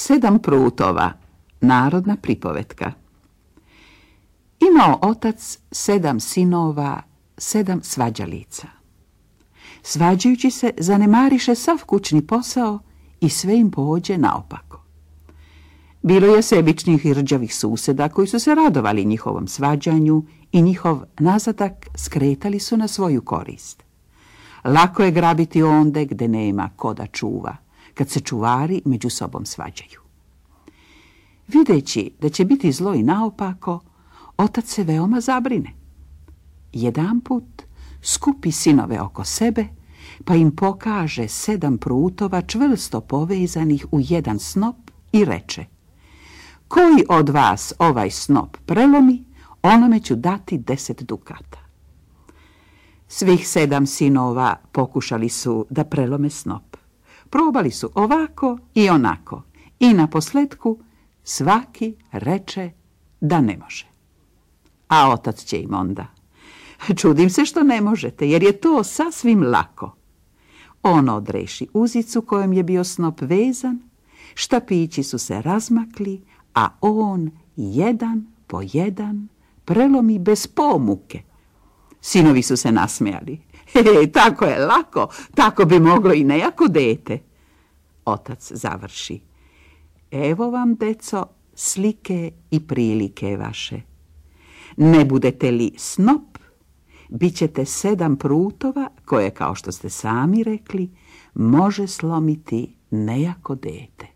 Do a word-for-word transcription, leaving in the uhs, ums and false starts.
Sedam prutova, narodna pripovetka. Imao otac sedam sinova, sedam svađalica. Svađajući se, zanemariše sav kućni posao i sve im pođe naopako. Bilo je sebičnih i rđavih suseda koji su se radovali njihovom svađanju i njihov nazadak skretali su na svoju korist. Lako je grabiti onde gde nema ko da čuva, kad se čuvari među sobom svađaju. Videći da će biti zlo i naopako, otac se veoma zabrine. Jedanput skupi sinove oko sebe, pa im pokaže sedam prutova čvrsto povezanih u jedan snop i reče: koji od vas ovaj snop prelomi, onome ću dati deset dukata. Svih sedam sinova pokušali su da prelome snop. Probali su ovako i onako i naposletku svaki reče da ne može. A otac će im onda: čudim se što ne možete, jer je to sasvim lako. On odreši uzicu kojom je bio snop vezan, štapići su se razmakli, a on jedan po jedan prelomi bez pomuke. Sinovi su se nasmejali. He, tako je lako, tako bi moglo i nejako dete. Otac završi: evo vam, deco, slike i prilike vaše. Ne budete li snop, bit ćete sedam prutova koje, kao što ste sami rekli, može slomiti nejako dete.